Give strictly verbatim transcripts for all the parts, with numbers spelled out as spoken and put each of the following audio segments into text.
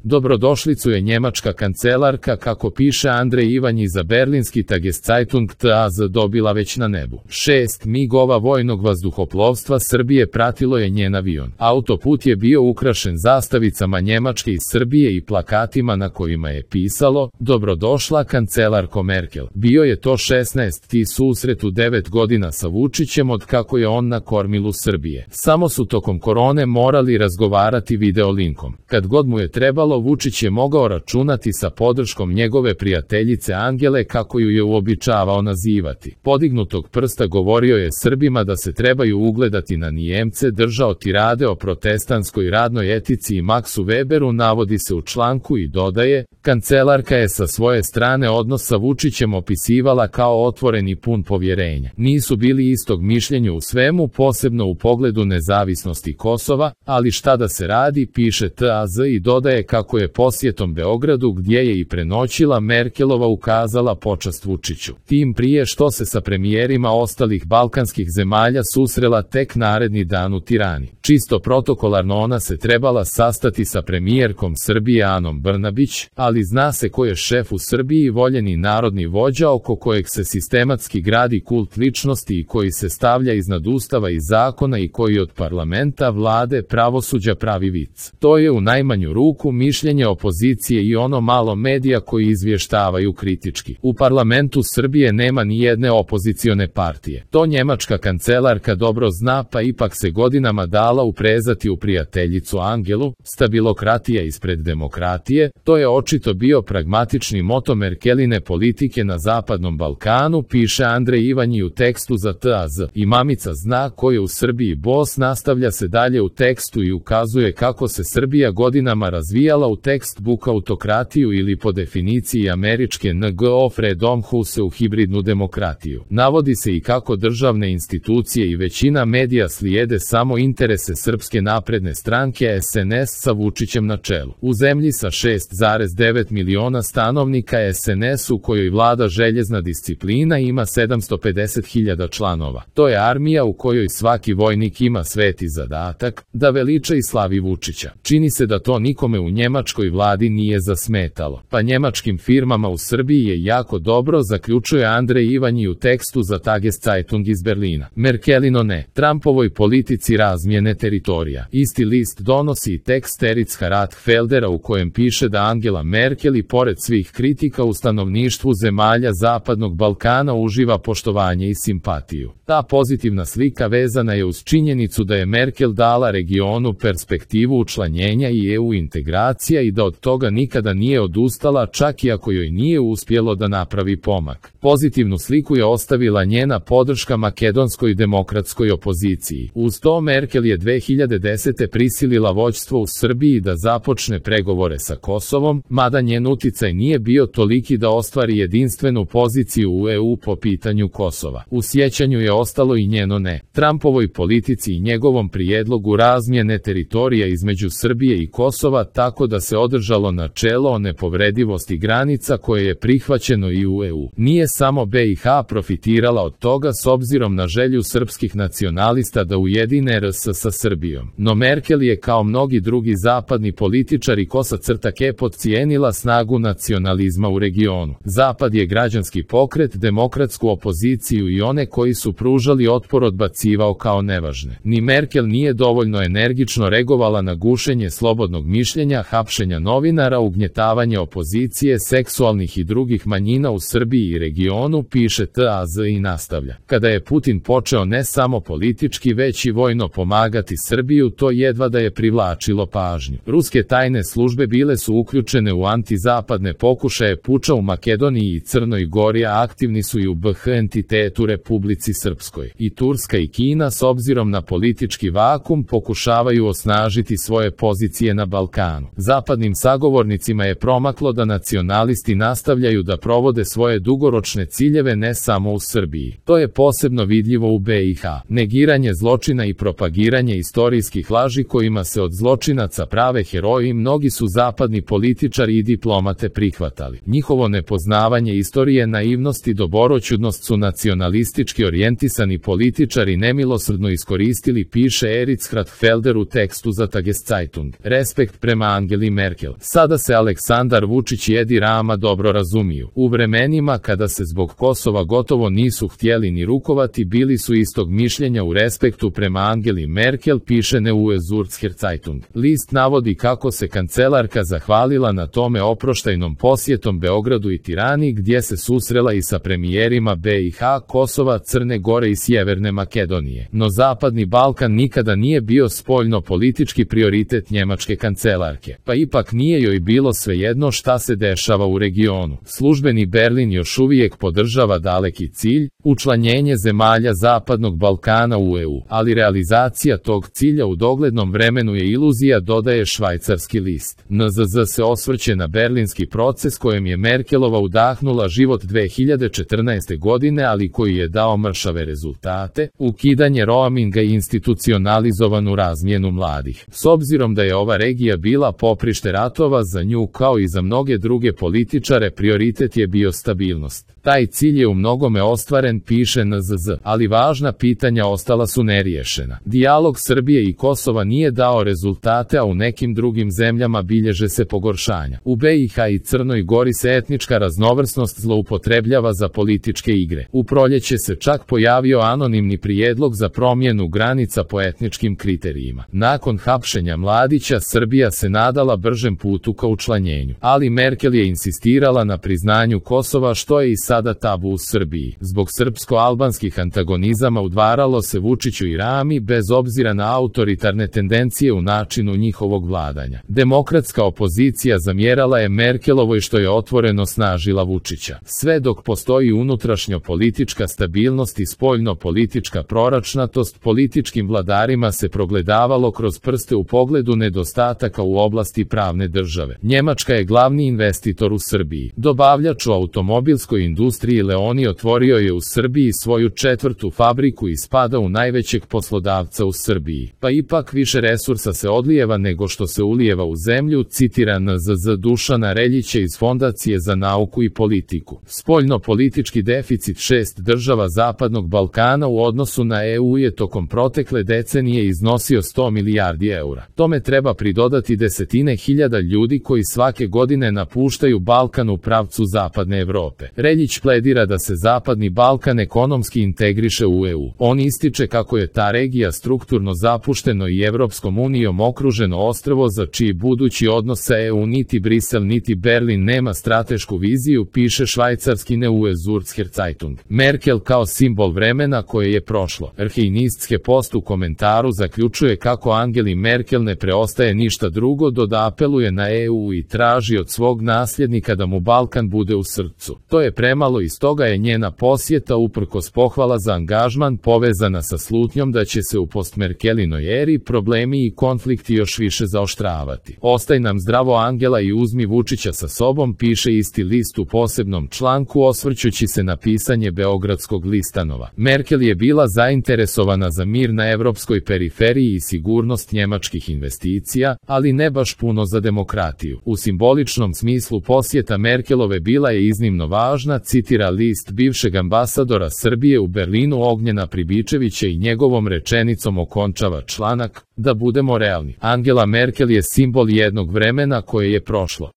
Dobrodošlicu je njemačka kancelarka, kako piše Andrej Ivanji za berlinski Tageszeitung T A Z, dobila već na nebu. Šest migova vojnog vazduhoplovstva Srbije pratilo je njen avion. Autoput je bio ukrašen zastavicama Njemačke iz Srbije i plakatima na kojima je pisalo "Dobrodošla kancelarko Merkel". Bio je to šesnaesti susret u devet godina sa Vučićem od kako je on na kormilu Srbije. Samo su tokom korone morali razgovarati videolinkom. Kad god mu je trebalo, Vučić je mogao računati sa podrškom njegove prijateljice Angele, kako ju je uobičavao nazivati. Podignutog prsta govorio je Srbima da se trebaju ugledati na Nijemce, držao tirade o protestantskoj radnoj etici i Maxu Weberu, navodi se u članku, i dodaje: kancelarka je sa svoje strane odnos sa Vučićem opisivala kao otvoren i pun povjerenja. Nisu bili istog mišljenja u svemu, posebno u pogledu nezavisnosti Kosova, ali šta da se radi, piše T A Z, i dodaje kako je posjetom Beogradu, gdje je i prenoćila, Merkelova ukazala počast Vučiću. Tim prije što se sa premijerima ostalih balkanskih zemalja susrela tek naredni dan u Tirani. Čisto protokolarno ona se trebala sastati sa premijerkom Srbije Anom Brnabić, ali zna se ko je šef u Srbiji, voljeni narodni vođa oko kojeg se sistematski gradi kult ličnosti i koji se stavlja iznad ustava i zakona i koji od parlamenta, vlade, pravosuđa pravi vic. To je u najmanju ruku mišljenje opozicije i ono malo medija koji izvještavaju kritički. U parlamentu Srbije nema ni jedne opozicione partije. To njemačka kancelarka dobro zna, pa ipak se godinama dala uprezati u prijateljicu Angelu. Stabilokratija ispred demokratije, to je očito bio pragmatični moto Merkeline politike na Zapadnom Balkanu, piše Andrej Ivanji u tekstu za T A Z. I mamica zna ko je u Srbiji bos, nastavlja se dalje u tekstu i ukazuje kako se Srbija godinama razvijala u textbook autokratiju ili po definiciji američke N G O Freedom House u hibridnu demokratiju. Navodi se i kako državne institucije i većina medija slijede samo interese Srpske napredne stranke S N S sa Vučićem na čelu. U zemlji sa šest zarez devet miliona stanovnika, S N S u kojoj vlada željezna disciplina ima sedamsto pedeset hiljada članova. To je armija u kojoj svaki vojnik ima sveti zadatak da veliča i slavi Vučića. Čini se da to nikome u njemačkoj vladi nije zasmetalo. Pa njemačkim firmama u Srbiji je jako dobro, zaključuje Andrej Ivanji u tekstu za Tageszeitung iz Berlina. Merkelino ne. Trumpovoj politici razmjene teritorija. Isti list donosi i tekst Ericha Rathfeldera u kojem piše da Angela Merkel i pored svih kritika u stanovništvu zemalja Zapadnog Balkana uživa poštovanje i simpatiju. Ta pozitivna slika vezana je uz činjenicu da je Merkel dala regionu perspektivu učlanjenja i E U integracija i da od toga nikada nije odustala, čak i ako joj nije uspjelo da napravi pomak. Pozitivnu sliku je ostavila njena podrška makedonskoj demokratskoj opoziciji. Uz to Merkel je dve hiljade desete prisilila vođstvo u Srbiji da započne pregovore sa Kosovom, mada njen uticaj nije bio toliki da ostvari jedinstvenu poziciju u E U po pitanju Kosova. U sjećanju je ostalo i njeno ne Trumpovoj politici i njegovom prijedlogu razmjene teritorija između Srbije i Kosova, tako da se održalo načelo o nepovredivosti granica koje je prihvaćeno i u E U. Nije samo B i H profitirala od toga s obzirom na želju srpskih nacionalista da ujedine R S sa Srbijom. No Merkel je kao mnogi drugi zapadni političari kosa crta ke podcijenila snagu nacionalizma u regionu. Zapad je građanski pokret, demokratsku opoziciju i one koji su pružali otpor odbacivao kao nevažne. Ni Merkel nije dovoljno energično reagovala na gušenje slobodnog mišljenja, hapšenja novinara, ugnjetavanje opozicije, seksualnih i drugih manjina u Srbiji i regionu, piše T A Z i nastavlja. Kada je Putin počeo ne samo politički već i vojno pomagati Srbiju, to jedva da je privlačilo pažnju. Ruske tajne službe bile su uključene u antizapadne pokušaje puča u Makedoniji i Crnoj Gori, a aktivni su i u B H entitetu Republici Srpskoj. I Turska i Kina s obzirom na politički vakum pokušavaju osnažiti svoje pozicije na Balkanu. Zapadnim sagovornicima je promaklo da nacionalisti nastavljaju da provode svoje dugoročne ciljeve ne samo u Srbiji. To je posebno vidljivo u B i H. Negiranje zločina i propagiranje istorijskih laži kojima se od zločinaca prave heroji mnogi su zapadni političari i diplomate prihvatali. Njihovo nepoznavanje istorije, naivnost i doboroćudnost su nacionalistički orijentisani političari nemilosrdno iskoristili, piše Erich Rathfelder u tekstu za Tageszeitung. Respekt prema Angeli Angeli Merkel. Sada se Aleksandar Vučić i Edi Rama dobro razumiju. U vremenima kada se zbog Kosova gotovo nisu htjeli ni rukovati, bili su istog mišljenja u respektu prema Angeli Merkel, piše Neue Zürcher Zeitung. List navodi kako se kancelarka zahvalila na tome oproštajnom posjetom Beogradu i Tirani, gdje se susrela i sa premijerima B i H, Kosova, Crne Gore i Sjeverne Makedonije. No Zapadni Balkan nikada nije bio spoljno-politički prioritet njemačke kancelarke, pa ipak nije joj bilo svejedno šta se dešava u regionu. Službeni Berlin još uvijek podržava daleki cilj, učlanjenje zemalja Zapadnog Balkana u E U, ali realizacija tog cilja u doglednom vremenu je iluzija, dodaje švajcarski list. N Z Z se osvrće na berlinski proces kojem je Merkelova udahnula život dve hiljade četrnaeste. godine, ali koji je dao mršave rezultate, ukidanje roaminga i institucionalizovanu razmjenu mladih. S obzirom da je ova regija bila poprište ratova, za nju kao i za mnoge druge političare prioritet je bio stabilnost. Taj cilj je u mnogome ostvaren, piše N Z Z, ali važna pitanja ostala su neriješena. Dijalog Srbije i Kosova nije dao rezultate, a u nekim drugim zemljama bilježe se pogoršanja. U B i H i Crnoj Gori se etnička raznovrsnost zloupotrebljava za političke igre. U proljeće se čak pojavio anonimni prijedlog za promjenu granica po etničkim kriterijima. Nakon hapšenja Mladića, Srbija se nadala bržem putu ka učlanjenju, ali Merkel je insistirala na priznanju Kosova, što je i sada tabu u Srbiji. Zbog srpsko-albanskih antagonizama udvaralo se Vučiću i Rami, bez obzira na autoritarne tendencije u načinu njihovog vladanja. Demokratska opozicija zamjerala je Merkelovoj što je otvoreno snažila Vučića. Sve dok postoji unutrašnjo-politička stabilnost i spoljno-politička proračnatost, političkim vladarima se progledavalo kroz prste u pogledu nedostataka u oblasti pravne države. Njemačka je glavni investitor u Srbiji. Dobavljač u automobilskoj industriji Leoni otvorio je u Srbiji svoju četvrtu fabriku i spada u najvećeg poslodavca u Srbiji. Pa ipak više resursa se odlijeva nego što se ulijeva u zemlju, citira N Z Z Dušana Reljića iz Fondacije za nauku i politiku. Spoljno-politički deficit šest država Zapadnog Balkana u odnosu na E U je tokom protekle decenije iznosio sto milijardi eura. Tome treba pridodati desetine hiljada ljudi koji svake godine napuštaju Balkan u pravcu Zapadne Evrope. Reljić pledira da se Zapadni Balkan ekonomski integriše u E U. On ističe kako je ta regija strukturno zapušteno i Evropskom unijom okruženo ostrvo za čiji budući odnos sa E U niti Brisel niti Berlin nema stratešku viziju, piše švajcarski Neue Zürcher Zeitung. Merkel kao simbol vremena koje je prošlo. Arheinistske post u komentaru zaključuje kako Angeli Merkel ne preostaje ništa drugo do da apeluje na E U i traži od svog nasljednika da mu Balkan bude u srcu. To je premalo i stoga je njena posjeta, uprkos pohvala za angažman, povezana sa slutnjom da će se u postmerkelinoj eri problemi i konflikti još više zaoštravati. Ostaj nam zdravo Angela i uzmi Vučića sa sobom, piše isti list u posebnom članku osvrćući se na pisanje beogradskog listanova. Merkel je bila zainteresovana za mir na evropskoj periferiji i sigurnost njemačkih investicija, ali ne baš puno za demokratiju. U simboličnom smislu posjeta Merkelove bila je iznimno važna, citira list bivšeg ambasadora Srbije u Berlinu Ognjena Pribičevića i njegovom rečenicom okončava članak: da budemo realni. Angela Merkel je simbol jednog vremena koje je prošlo.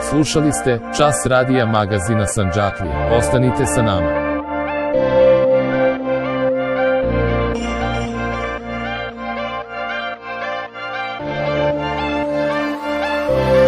Slušali ste Čas radija magazina Sandžaklija. Ostanite sa nama. Oh